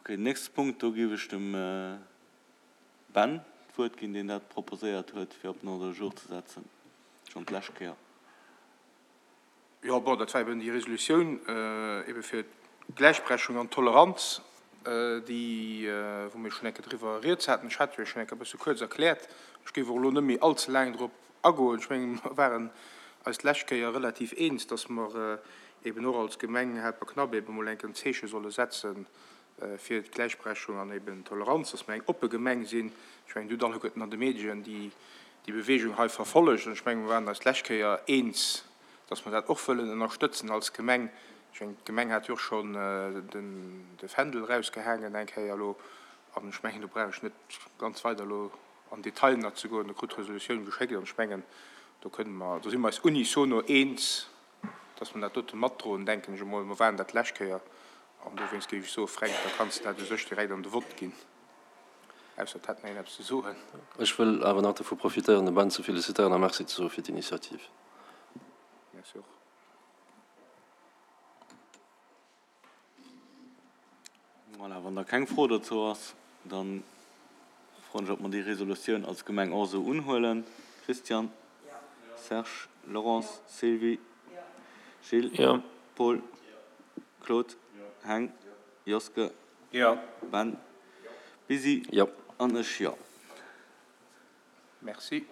Okay, den nächste Punkt, do géif ech dem Ben d'Wuert ginn, deen dat proposéiert huet, fir op den Ordre du jour ze setzen, schonn d'lescht Kéier. Jo, bon, dat war eben déi Resolutioun ebe fir d'Gläichberechtigung an d'Toleranz, déi, wou mir schonn eng Kéier driwwer rieds haten. Ech hat jo schonn eng Kéier e bësse kuerz erkläert. Ech géif och elo net méi allze laang drop agoen. Ech mengen, mer waren eis d'lescht Kéier relativ eens, dass mer eben och als Gemeng Helperknapp eben emol eng Kéier en Zeeche solle setzen fir d'Gläichberechtigung an eben d'Toleranz, dass mer eng oppe Gemeng sinn. Ech mengen, Dir hutt alleguerten an de Medien déi Bewegung hei verfollegt an ech mengen, mer waren eis d'lescht Kéier eens, dass mer dat och wëllen ënnerstëtzen als Gemeng. Ech mengen, d'Gemeng hat jo och schonn de Fändel erausgehaangen eng Kéier elo an ech mengen, do brauch ech net ganz weider elo an Detail nach ze goen. Der krut d'Resolutioun geschéckt an ech mengen, do kënne mer, do si mer eis unisono eens, dass mer dat dote matdroen, denken ech emol. Mer waren dat d'lescht Kéier an dowéinst géif ech soen, Fränk, da kanns de dat u sech direkt an de Vott ginn, ausser et hätt nach een eppes ze soen. Ech wëll awer nach dovu profitéieren, de Ben ze felicitéieren a Merci ze soe fir d'Initiativ. Merci och. Voilà, wann da keng Fro dozou ass, da froen ech, ob mer déi Resolutioun als Gemeng och esou unhuelen. Christian? Serge? Laurence? Sylvie? Gilles? Paul? Claude? Heng? Joske? Ben? Busy? An ech jo. Merci.